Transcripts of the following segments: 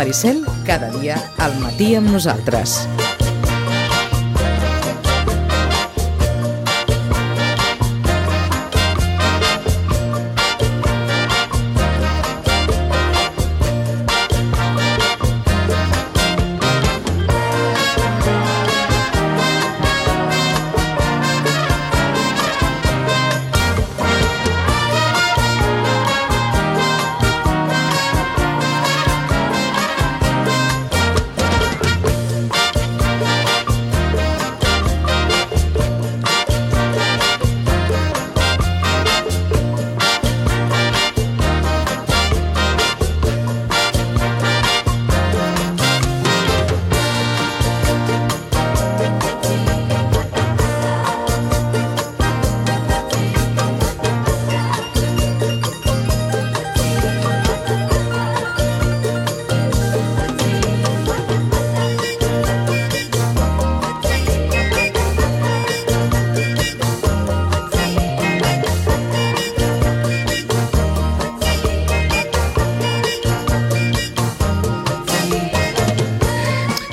Maricel, cada dia al matí amb nosaltres.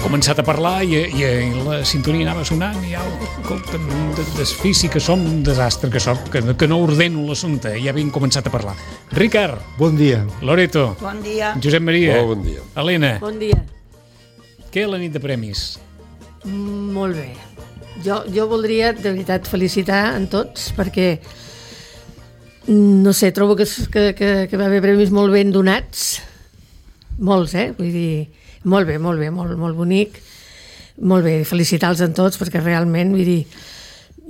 Començat a parlar i la sintonia anava sonant i desfici que som un desastre, que no ordeno l'assumpte, ja havien començat a parlar. Ricard. Bon dia. Loreto. Bon dia. Josep Maria. Bon dia. Helena. Bon dia. Què la nit de premis? Molt bé. Jo voldria, de veritat, felicitar en tots, perquè, no sé, trobo que va haver premis molt ben donats. Molts, vull dir, molt bé, molt bonic. Molt bé, felicitar-los en tots, perquè realment, vull dir,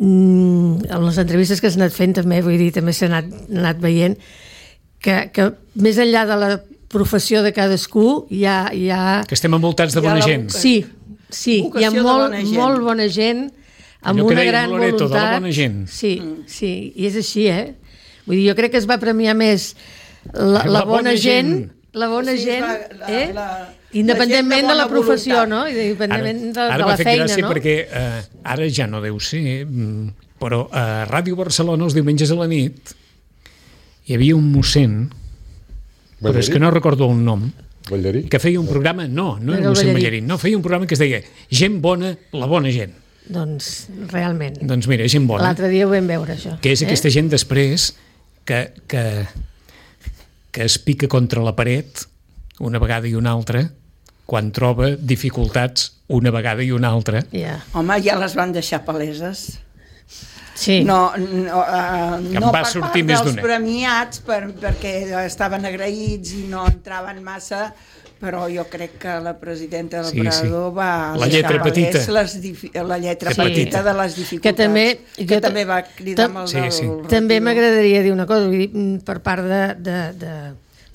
en les entrevistes que s'han anat fent també, vull dir, també s'ha anat veient que més enllà de la professió de cadascú hi ha... Que estem envoltats de bona gent. Sí, hi ha molt bona gent, amb una gran Loreto, voluntat. de la bona gent. Sí, i és així, Vull dir, jo crec que es va premiar més la bona gent, independentment de la professió, no? Independentment de la feina, no? Ara m'ha fet gràcia perquè ara ja no deu ser, però a Ràdio Barcelona els diumenges a la nit hi havia un mossèn, però és que no recordo el nom, Ballarí? que feia un programa, no era mossèn Ballarí, no, feia un programa que es deia Gent bona, la bona gent. Doncs realment. Doncs mira, gent bona. L'altre dia ho vam veure, això. Que és aquesta gent després que es pica contra la paret una vegada i una altra quan troba dificultats una vegada i una altra. Yeah. Home, ja les van deixar paleses. Sí. No va per sortir part més dels d'una. premiats, perquè estaven agraïts i no entraven massa, però jo crec que la presidenta del Prado va la lletra petita. La lletra petita de les dificultats. Que també va cridar amb el del... També m'agradaria dir una cosa, vull dir, per part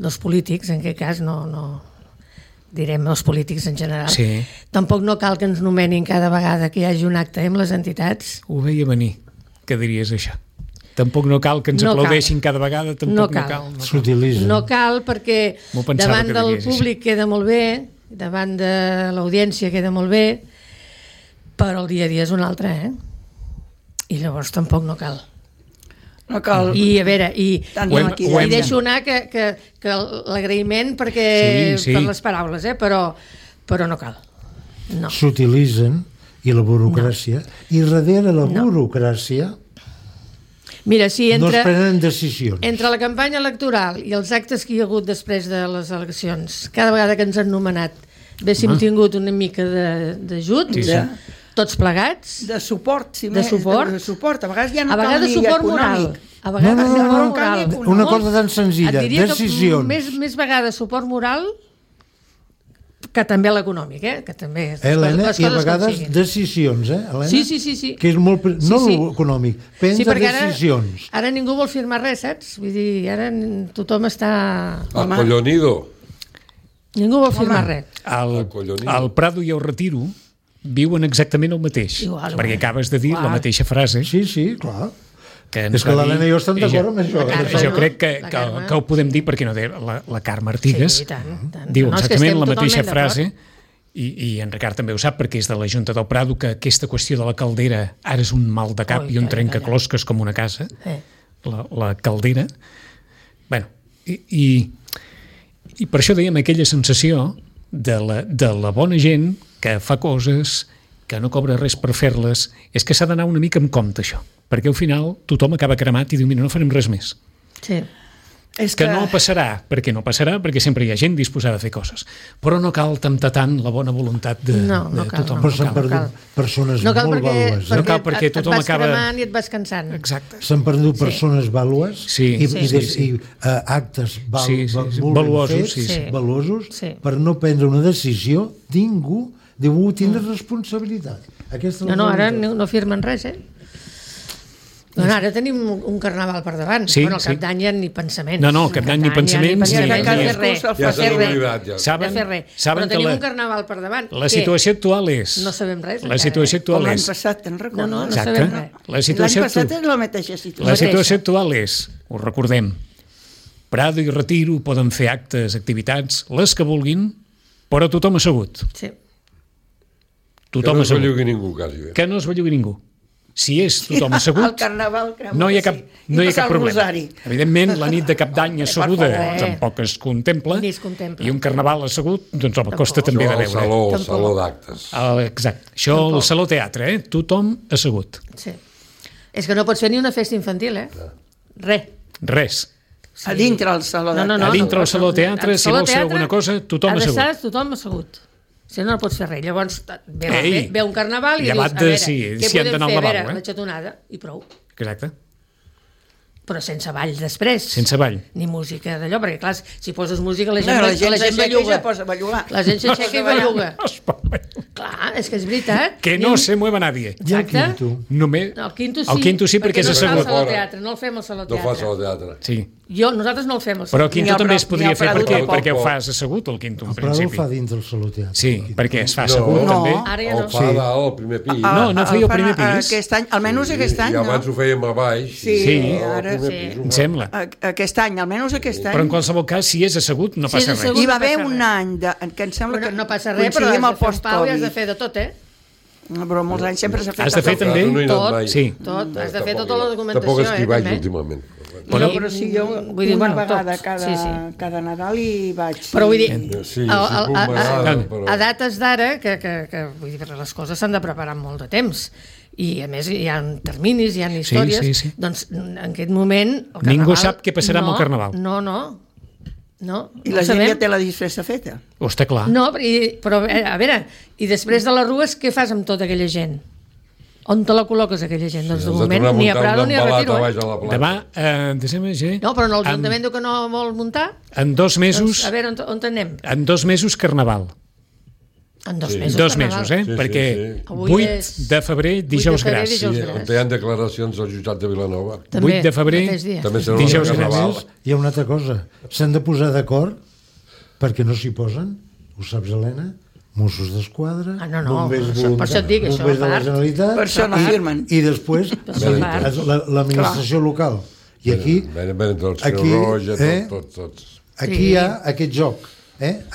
dels polítics, en aquest cas no direm els polítics en general, tampoc no cal que ens nomenin cada vegada que hi hagi un acte amb les entitats. Ho veia venir, que diries això. Tampoc no cal que ens aplaudeixin cada vegada, tampoc no cal. S'utilitzen. No cal, perquè davant del públic queda molt bé, davant de l'audiència queda molt bé, però el dia a dia és un altre, I llavors tampoc no cal. No cal. I a veure, i deixo anar que l'agraïment per les paraules, però no cal. No. S'utilitzen, i la burocràcia, i darrere la burocràcia mira, si no es prenen decisions. Entre la campanya electoral i els actes que hi ha hagut després de les eleccions, cada vegada que ens han nomenat haguéssim tingut una mica d'ajut, tots plegats, de suport, de suport, a vegades ja no cal ni econòmic. A vegades suport moral. Una cosa tan senzilla, decisions. Més vegades suport moral que també l'econòmic, que també... Helena, i a vegades decisions, Helena? Sí. Que és molt... No l'econòmic, prendre decisions. Ara ningú vol firmar res, saps? Vull dir, ara tothom està... Acollonido. Ningú vol firmar res. El Prado i el Retiro viuen exactament el mateix, perquè acabes de dir la mateixa frase. Sí, clar. És que l'Helena i jo estem d'acord amb això. Jo crec que ho podem dir perquè no la Carme Artigas diu exactament la mateixa frase i en Ricard també ho sap perquè és de la Junta del Prado, que aquesta qüestió de la caldera ara és un mal de cap i un trencaclosques com una casa, la caldera. Bé, i per això dèiem aquella sensació de la bona gent que fa coses, que no cobra res per fer-les, és que s'ha d'anar una mica amb compte, això. Perquè al final tothom acaba cremat i diu, mira, no farem res més. Sí. És que no passarà, perquè sempre hi ha gent disposada a fer coses. Però no cal temptar tant la bona voluntat de tothom. Però s'han perdut persones molt vàlues. No cal perquè tothom acaba... Et vas cremant i et vas cansant. Exacte. S'han perdut persones vàlues i actes valuosos per no prendre una decisió. Ningú deu tenir responsabilitat. Ara no firmen res, Bueno, ara tenim un carnaval per davant. Bueno, al cap d'any ja ni pensament. No, cap d'any ni pensaments. Ja s'ha oblidat. Saben però tenim un carnaval per davant. La situació actual és... No sabem res. La situació actual és... L'any passat, te'n recordes? No sabem res. L'any passat és la mateixa situació. La situació actual és, ho recordem, Prado i Retiro poden fer actes, activitats, les que vulguin, però tothom assegut. Sí. Tothom assegut. Que no es bellugui ningú, quasi. Que no es bellugui ningú. Si és tothom assegut, el carnaval, no hi ha cap problema. Evidentment, la nit de cap d'any asseguda tampoc es contempla, i un carnaval assegut, doncs home, costa també de veure. El saló d'actes. Exacte. Això, el saló teatre, tothom assegut. Sí. És que no pots fer ni una festa infantil, Res. A dintre el saló d'actes. A dintre el saló teatre, si vols fer alguna cosa, tothom assegut. Ha d'estar tothom assegut. Si no pots fer res. Llavors ve un carnaval i dius, a veure, què podem fer? A veure, la xatonada, i prou. Exacte. Però sense ball després. Sense ball. Ni música d'allò, perquè clar, si poses música la gent belluga. La gent s'aixeca i belluga. Clar, és que és veritat. Que no se mueva nadie. Exacte. El quinto sí, perquè és assegut. No el fem al saló teatre. No fa saló teatre. Sí. Nosaltres no el fem al saló teatre. Però el quinto també es podria fer perquè ho fas assegut, el quinto, en principi. El Prado ho fa dins del saló teatre. Sí, perquè es fa assegut, també. El fa dalt, al primer pis. No feia el primer pis. Aquest any, almenys aquest any, no? I abans ho fèiem a baix. Sí, ara em sembla. Aquest any, almenys aquest any. Però en qualsevol cas, si és assegut, no passa res. Hi va haver un any que em sembla que no passa res, però has de fer un pau i has de fer de tot, Però molts anys sempre s'ha fet. Has de fer també tot. Has de fer tota la documentació. Tampoc és que hi vaig últimament. Però si jo una vegada cada Nadal hi vaig. Però vull dir, a dates d'ara, que les coses s'han de preparar amb molt de temps, i a més hi ha terminis, hi ha històries, doncs en aquest moment... Ningú sap què passarà amb el Carnaval. No. I la gent ja té la disfressa feta. Està clar. No, però a veure, i després de les rues, què fas amb tota aquella gent? On te la col·loques, aquella gent? Doncs de moment ni a Prado ni a Retiro. Demà, desembre, no, però l'Ajuntament diu que no vol muntar. En 2 mesos... A veure, on anem? En 2 mesos, Carnaval. En 2 mesos, 2 mesos, perquè 8 de febrer, dijous gras. On hi ha declaracions al jutjat de Vilanova. 8 de febrer, dijous gras. Hi ha una altra cosa. S'han de posar d'acord perquè no s'hi posen, ho saps, Helena? Mossos d'Esquadra, bombers voluntaris, bombers de la Generalitat, per això no firmen. I després l'administració local. I aquí hi ha aquest joc,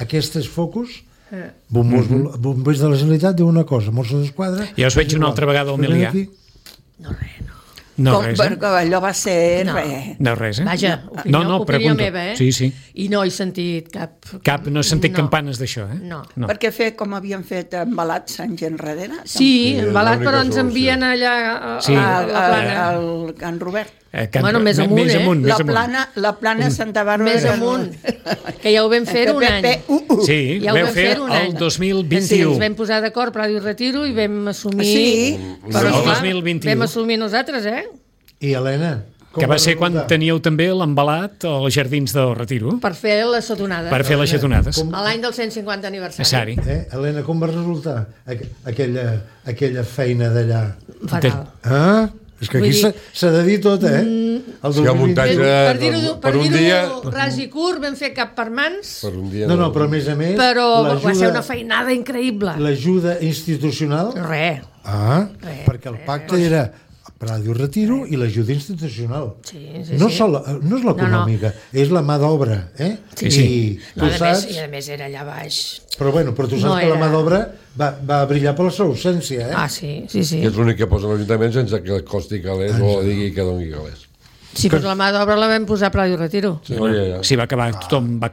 aquests focus. Bombers de la Generalitat diu una cosa, Mossos d'Esquadra... Ja us veig una altra vegada al Milià. No, res. Allò va ser res. No, res, Vaja, opinió meva, Sí. I no he sentit cap... No he sentit campanes d'això, No. Perquè com havien fet embalats anys enrere? Sí, embalat, però ens envien allà al Can Robert. Més amunt, La plana Santa Bàrbara. Més amunt, que ja ho vam fer un any. Sí, vau fer el 2021. Sí, ens vam posar d'acord, Prado i Retiro, i vam assumir... Sí, el 2021. Vam assumir nosaltres, I Helena... Que va ser quan teníeu també l'embalat als jardins del Retiro. Per fer les xatonades. Per fer les xatonades. A l'any del 150 aniversari. Helena, com va resultar aquella feina d'allà? Fatal. És que aquí s'ha de dir tot, Si hi ha muntatge per un dia... ras i curt, vam fer cap per mans. No, però a més a més... Però va ser una feinada increïble. L'ajuda institucional... Res. Perquè el pacte era Prado i Retiro i l'ajuda institucional. No és l'econòmica, és la mà d'obra. I a més era allà baix. Però tu saps que la mà d'obra va brillar per la seva ausència. Sí. Que és l'únic que posa l'Ajuntament sense que costi calés o digui que doni calés. Sí, però la mà d'obra la vam posar a Pla i Retiro. Sí, va acabar tothom. Per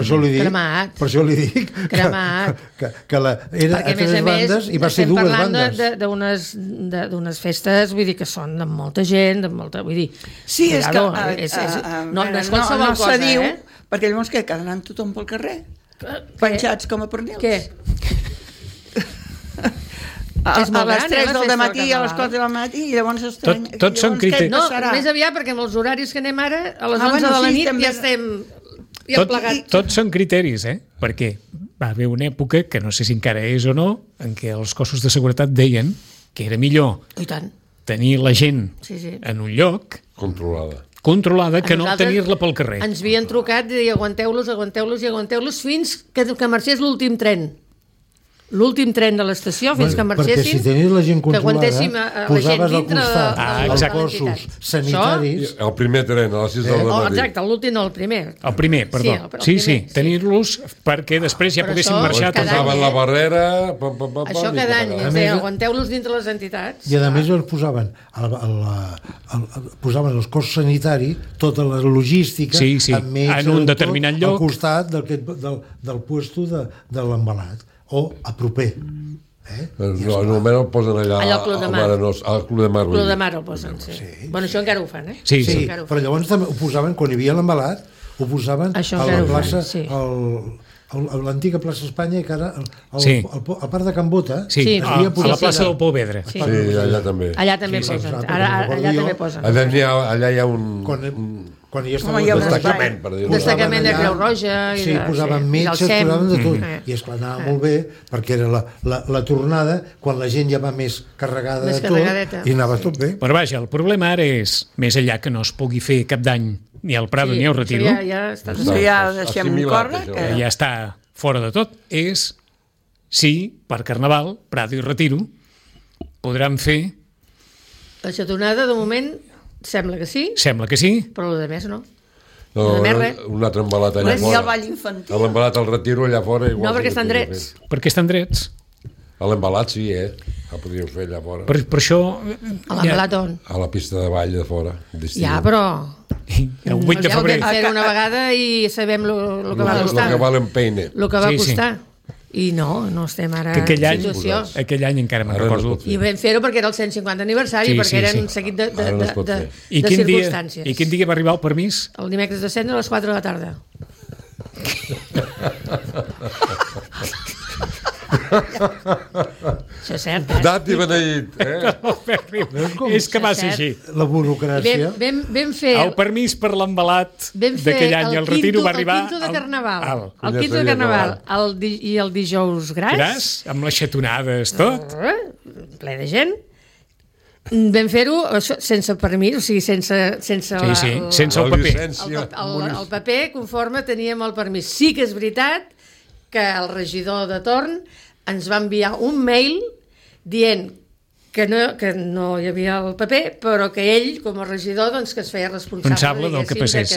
això li dic, cremat. Per això li dic cremat. Que era perquè, a tres bandes i va ser dues bandes. D'unes festes, vull dir, que són de molta gent, de molta... Vull dir, sí, és que... No és qualsevol cosa, diu, perquè llavors què? Quedaran tothom pel carrer? Penjats com a pernils? Què? A les 3 del matí, a les 4 del matí, i llavors estrany... Tots són criteris. No, més aviat, perquè amb els horaris que anem ara, a les 11 de la nit ja estem plegats. Tots són criteris, perquè va haver una època, que no sé si encara és o no, en què els cossos de seguretat deien que era millor tenir la gent en un lloc controlada que no tenir-la pel carrer. Ens havien trucat i dir aguanteu-los fins que marxés l'últim tren. L'últim tren de l'estació fins que marxessin, perquè si tenies la gent controlada, posaves al costat els cossos sanitaris. El primer tren a les 6 del matí. Exacte, l'últim no, el primer. El primer, perdó. Sí, tenir-los perquè després ja poguessin marxar. Posaven la barrera... Això cada any, aguanteu-los dintre les entitats. I a més els posaven els cossos sanitaris, tota la logística, amb metges, en un determinat lloc, al costat del puesto de l'embalat. O a proper. Normalment el posen allà al Club de Mar. Al Club de Mar. Club de Mar el posen, sí. Bueno, això encara ho fan, Sí, però llavors també ho posaven, quan hi havia l'embalat, ho posaven a la plaça, a l'antiga plaça Espanya, que ara al parc de Can Bota, a la plaça del Pou Vedre. Sí, allà també. Allà també posen. Allà també posen. Allà hi ha un... Quan hi estava un destacament, per dir-ho. Destacament de Creu Roja. Sí, posaven metges, posaven de tot. I esclar, anava molt bé, perquè era la tornada, quan la gent ja va més carregada de tot, i anava tot bé. Però vaja, el problema ara és, més enllà que no es pugui fer cap dany ni al Prado ni al Retiro, ja deixem córrer, que ja està fora de tot, és si per Carnaval, Prado i Retiro podran fer... La xatonada, de moment... Sembla que sí. Però el de més no. Un altre embalat allà fora. I el ball infantil. L'embalat al Retiro allà fora. No, perquè estan drets. Perquè estan drets. A l'embalat sí, el podríeu fer allà fora. Per això... A l'embalat on? A la pista de ball de fora. Ja, però... El 8 de febrer. Vam fer una vegada i sabem el que va costar. El que val en peine. El que va costar. I no estem ara en situació. Aquell any encara me'n recordo. I vam fer-ho perquè era el 150 aniversari, perquè eren un seguit de circumstàncies. I quin dia va arribar el permís? El dimecres de cendre a les 4 de la tarda. Això és cert, Dat i beneït. És que va ser així. La burocràcia. Vam fer... El permís per l'embalat d'aquell any, el Retiro va arribar... El quinto de Carnaval. El quinto de Carnaval. I el dijous gras. Amb les xatonades, tot. Ple de gent. Vam fer-ho sense permís, o sigui, sense el paper. El paper conforme teníem el permís. Sí que és veritat que el regidor de torn ens va enviar un mail dient que no hi havia el paper, però que ell, com a regidor, doncs, que es feia responsable del que passés.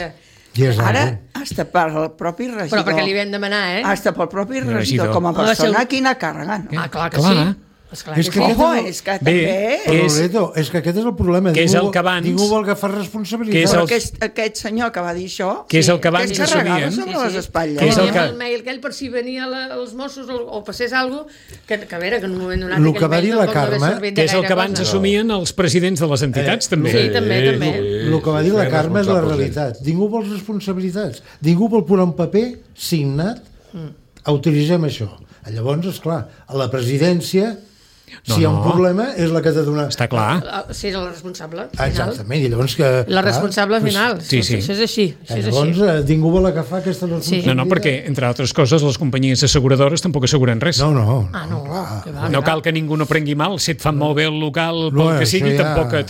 Ara, hasta pel propi regidor. Però perquè li vam demanar, Hasta pel propi regidor, com a persona, quina càrrega. Clar que sí. És que és que també... És que aquest és el problema. Ningú vol agafar responsabilitat. Però aquest senyor que va dir això, que és el que abans assumien sobre les espatlles. Teníem el mail que ell, per si venia els Mossos o passés alguna cosa, que a veure, que en un moment donat... El que va dir la Carme... Que és el que abans assumien els presidents de les entitats, també. Sí, també. El que va dir la Carme és la realitat. Ningú vol responsabilitats. Ningú vol posar un paper signat. Autoritzem això. Llavors, esclar, a la presidència... Si hi ha un problema, és la que ha de donar... Està clar. Sí, és el responsable final. Exactament, i llavors que... La responsable final, sí. Això és així. Llavors ningú vol agafar aquesta responsabilitat. No, perquè, entre altres coses, les companyies asseguradores tampoc asseguren res. No cal que ningú no prengui mal, si et fan molt bé el local, pel que sigui,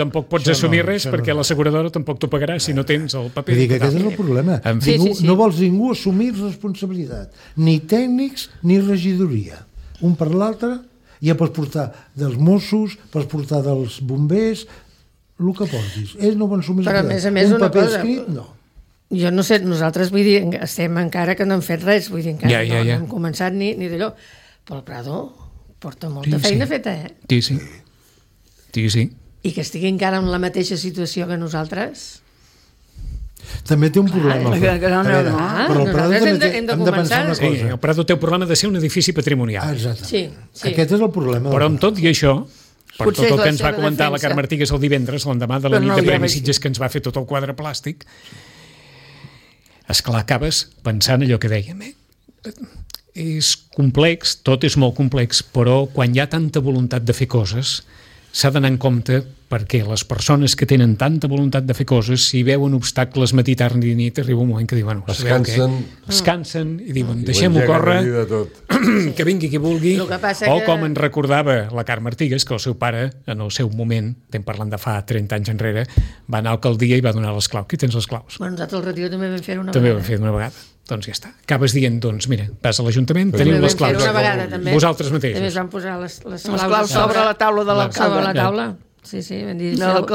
tampoc pots assumir res, perquè l'asseguradora tampoc t'ho pagarà si no tens el paper. Vull dir que aquest és el problema. No vols ningú assumir responsabilitat, ni tècnics ni regidoria. Un per l'altre... Ja pots portar dels Mossos, pots portar dels bombers, el que portis. Ells no van assumir un paper escrit, no. Jo no sé, nosaltres, vull dir, estem encara que no hem fet res, vull dir, encara no hem començat ni d'allò. Però el Prado porta molta feina feta, Sí. I que estigui encara en la mateixa situació que nosaltres... També té un problema. Però el Prado també hem de pensar una cosa. El Prado té el problema de ser un edifici patrimonial. Exacte. Sí. Aquest és el problema. Però amb tot i això, per tot el que ens va comentar la Carme Artigas el divendres, l'endemà de la nit de Premi Sitges, que ens va fer tot el quadre plàstic, esclar, acabes pensant allò que dèiem, és complex, tot és molt complex, però quan hi ha tanta voluntat de fer coses, s'ha d'anar en compte perquè les persones que tenen tanta voluntat de fer coses, si veuen obstacles matí, tarda i nit, arriba un moment que diuen, es cansen i diuen, deixem-ho córrer, que vingui qui vulgui, o com ens recordava la Carme Artigas, que el seu pare, en el seu moment, estem parlant de fa 30 anys enrere, va anar a l'alcaldia i va donar les claus. Qui tens les claus? Bueno, nosaltres al Retiro també vam fer una vegada. També vam fer una vegada. Doncs ja està. Acabes dient, doncs, mira, vas a l'Ajuntament, teniu les claus. Vosaltres mateixos. També es van posar les claus sobre la taula de l'alcalde. Sobre la taula. Sí, vam dir, feu el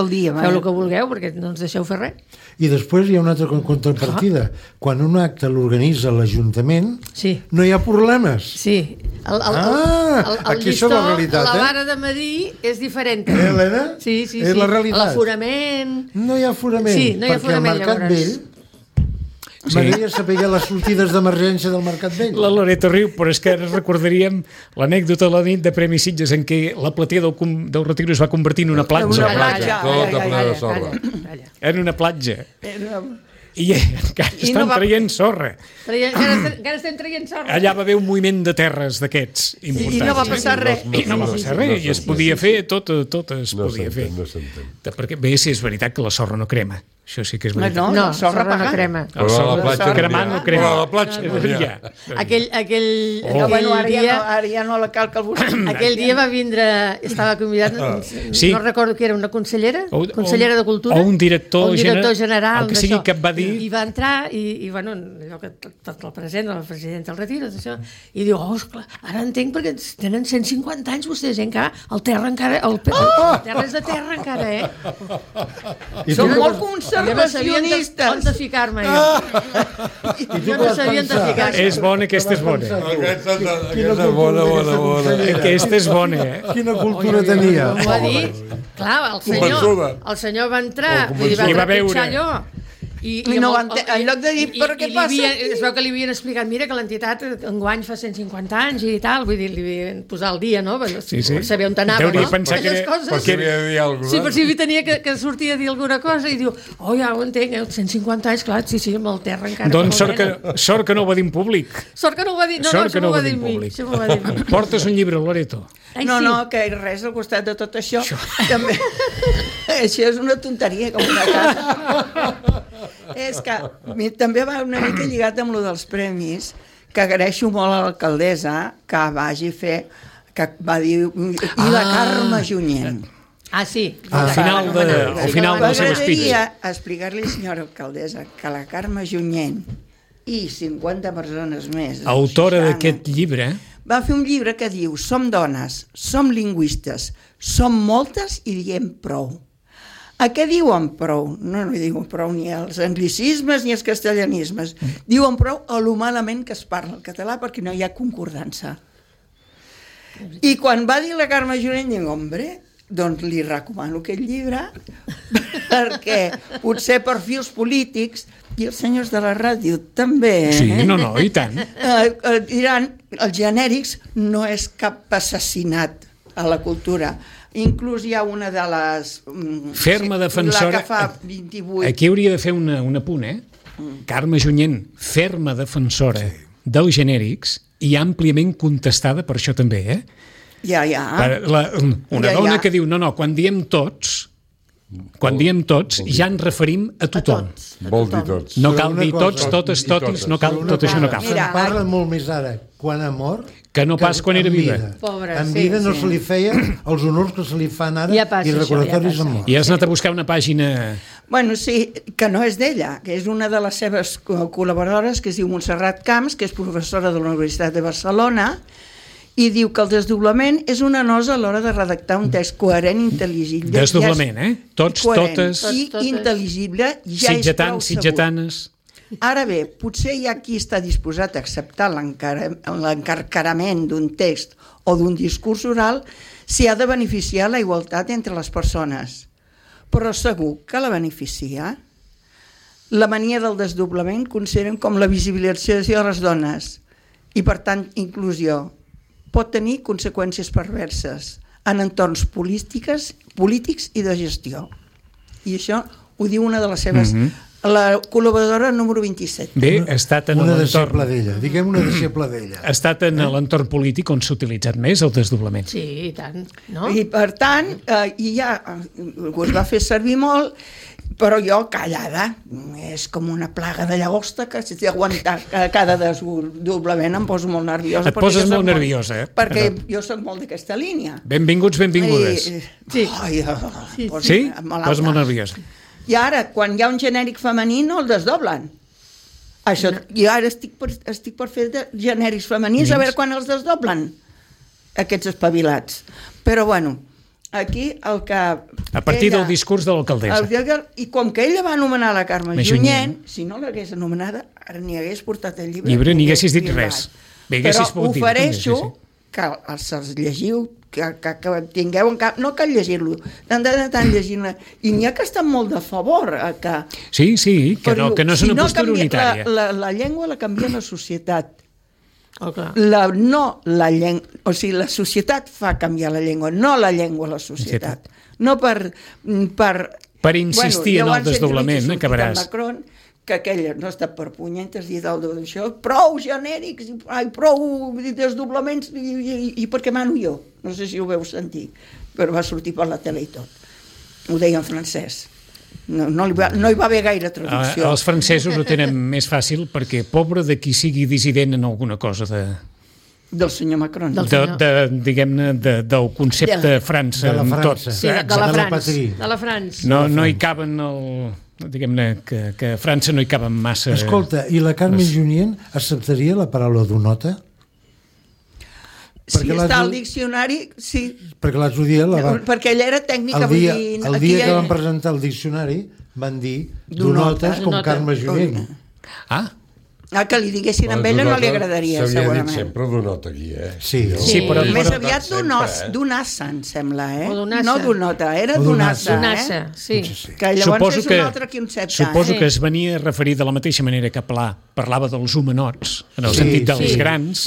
que vulgueu, perquè no ens deixeu fer res. I després hi ha una altra contrapartida. Quan un acte l'organitza l'Ajuntament, no hi ha problemes. Sí. El llistó, la vara de medir és diferent. Helena? Sí. És la realitat. L'aforament... No hi ha aforament, perquè al Mercat Vell m'agradaria saber les sortides d'emergència del Mercat Vell. La Loreto riu, però és que ara recordaríem l'anècdota de la nit de Premi Sitges en què la platea del Retiro es va convertir en una platja. Tota plena de sorra. En una platja. I encara estan traient sorra. Encara estem traient sorra. Allà va haver un moviment de terres d'aquests importants. I no va passar res. I no va passar res. I es podia fer, tot es podia fer. Perquè bé, si és veritat que la sorra no crema. Això sí que és veritat. No, la sorra no crema. La sorra cremant no crema. La platja no hi ha. Ara ja no la cal que el busqui. Aquell dia va vindre, estava convidat, no recordo qui era, una consellera de Cultura. O un director general. El que sigui que et va dir. I va entrar, i bueno, allò que tot el present, el president del Retiro, i diu, esclar, ara entenc perquè tenen 150 anys vostès, encara, el terra encara, el terra és de terra encara, Som molt conservacionistes. On de ficar-me, jo no sabia on de ficar-me. És bona, aquesta és bona. Aquesta és bona. Aquesta és bona, Quina cultura tenia. Ho va dir, clar, el senyor va entrar, va trepitjar allò. I no en lloc de dir, però què passa? Es veu que li havien explicat, mira que l'entitat enguany fa 150 anys i tal, vull dir, li havien posat al dia, no? Per saber on anava, no? Pensar que sí, per si tenia que sortir a dir alguna cosa i diu, ja ho entenc, 150 anys, clar, sí, amb el terra encara. Doncs sort que no ho va dir en públic. Sort que no ho va dir, no, això m'ho va dir en mi. Portes un llibre, Loreto? No, que res al costat de tot això. També. Això és una tonteria, com una casa. És que també va una mica lligat amb lo dels premis, que agraeixo molt a l'alcaldessa que vagi fer, que va dir, i la Carme Junyent. Sí. Al final del seu speech. M'agradaria explicar-li, senyora alcaldessa, que la Carme Junyent i 50 persones més, autora d'aquest llibre, va fer un llibre que diu, som dones, som lingüistes, som moltes i diem prou. A què diuen prou? No diuen prou ni els anglicismes ni els castellanismes. Diuen prou a lo malament que es parla el català perquè no hi ha concordança. I quan va dir la Carme Junyent, dic, hombre, doncs li recomano aquest llibre perquè potser per fils polítics i els senyors de la ràdio també. Sí, no, i tant. Diran, els genèrics no és cap assassinat a la cultura. Inclús hi ha una de les... Ferma defensora... La que fa 28... Aquí hauria de fer un apunt, Carme Junyent, ferma defensora dels genèrics i àmpliament contestada per això també, Ja. Una dona que diu, no, quan diem tots, ja ens referim a tothom. Vol dir tots. No cal dir tots, totes, totis, no cal, tot això no cal. Se'n parla molt més ara quan ha mort que no pas quan era viva. En vida no se li feia els honors que se li fan ara i recordatoris amb mort. I has anat a buscar una pàgina... Bueno, sí, que no és d'ella, que és una de les seves col·laboradores, que es diu Montserrat Camps, que és professora de la Universitat de Barcelona, i diu que el desdoblament és una nosa a l'hora de redactar un text coherent, intel·ligible... Desdoblament, Tots, totes... I intel·ligible, ja és prou segur. Sitgetanes... Ara bé, potser hi ha qui està disposat a acceptar l'encarcarament d'un text o d'un discurs oral si ha de beneficiar la igualtat entre les persones. Però segur que la beneficia? La mania del desdoblament consideren com la visibilització de les dones i, per tant, inclusió. Pot tenir conseqüències perverses en entorns polítics i de gestió. I això ho diu una de les seves... La col·laboradora número 27. Bé, ha estat en una l'entorn... deixeble d'ella, diguem una deixeble d'ella. Ha estat en l'entorn polític on s'ha utilitzat més el desdoblament. Sí, i tant. No? I per tant, i ja es va fer servir molt, però jo callada, és com una plaga de llagosta que si d'aguantar cada desdoblament em poso molt nerviosa. Et poses molt nerviosa, eh? Perquè jo soc molt d'aquesta línia. Benvinguts, benvingudes. Sí. Sí? Poses molt nerviosa. I ara, quan hi ha un genèric femení, no el desdoblen. Això, jo ara estic per fer genèrics femenins, a veure quan els desdoblen, aquests espavilats. Però, bueno, aquí el que... A partir del discurs de l'alcaldessa. I com que ella va anomenar la Carme Junyent, si no l'hagués anomenada, ara ni hagués portat el llibre. Ni haguessis dit res. Però ofereixo que els llegiu, que tingueu en cap, no cal llegir-lo, tant llegint-la, i n'hi ha que estan molt de favor que... Sí, que no és una postura unitària. La llengua la canvia la societat. Oh, clar. O sigui, la societat fa canviar la llengua, no la llengua la societat. No per insistir en el desdoblament, acabaràs. Macron, que aquella no està per punyentes dir d'això, prou genèrics, prou desdoblaments, i per què mano jo? No sé si ho veu sentir, però va sortir per la tele i tot. Ho deia en francès. No hi va haver gaire traducció. Els francesos ho tenen més fàcil perquè pobre de qui sigui dissident en alguna cosa del senyor Macron. Diguem-ne, del concepte França. De la França. Sí, de la França. No hi caben diguem-ne que a França no hi caben massa... Escolta, i la Carme Junyent acceptaria la paraula donota? Si està al diccionari, sí. Perquè l'altre dia perquè ella era tècnica. El dia que van presentar el diccionari van dir donotes com Carme Junyent. Que li diguessin amb ella no li agradaria, segurament. S'havia dit sempre donota aquí, eh? Sí, però... Més aviat donassa, em sembla, eh? No donota, era donassa, sí. Que llavors és un altre concepte. Suposo que es venia a referir de la mateixa manera que Pla parlava dels homenots, en el sentit dels grans,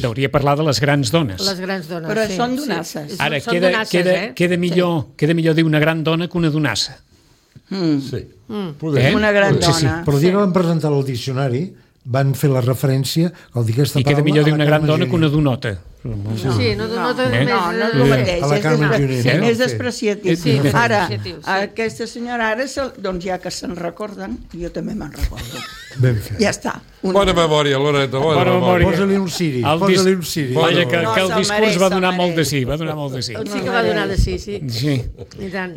hauria parlar de les grans dones. Les grans dones, però són donasses. Ara, queda millor dir una gran dona que una donassa. Sí, una gran dona. Però el dia que van presentar el diccionari van fer la referència al dir aquesta paraula. I queda millor dir una gran dona que una donota. Sí, no donota no és el mateix, és despreciatiu. Ara, aquesta senyora ara, doncs ja que se'n recorden, jo també me'n recordo. Ja està. Bona memòria, Loreta, bona memòria. Posa-li un siri. Vaja, que el discurs va donar molt de sí, Sí que va donar de sí, sí. Sí.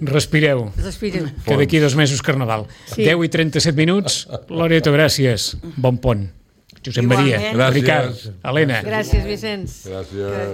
Respireu. Que d'aquí 2 mesos Carnaval. 10:37, Loreto, gràcies. Bon pont. Josep Maria, Ricard, Helena. Gràcies, Vicenç. Gràcies.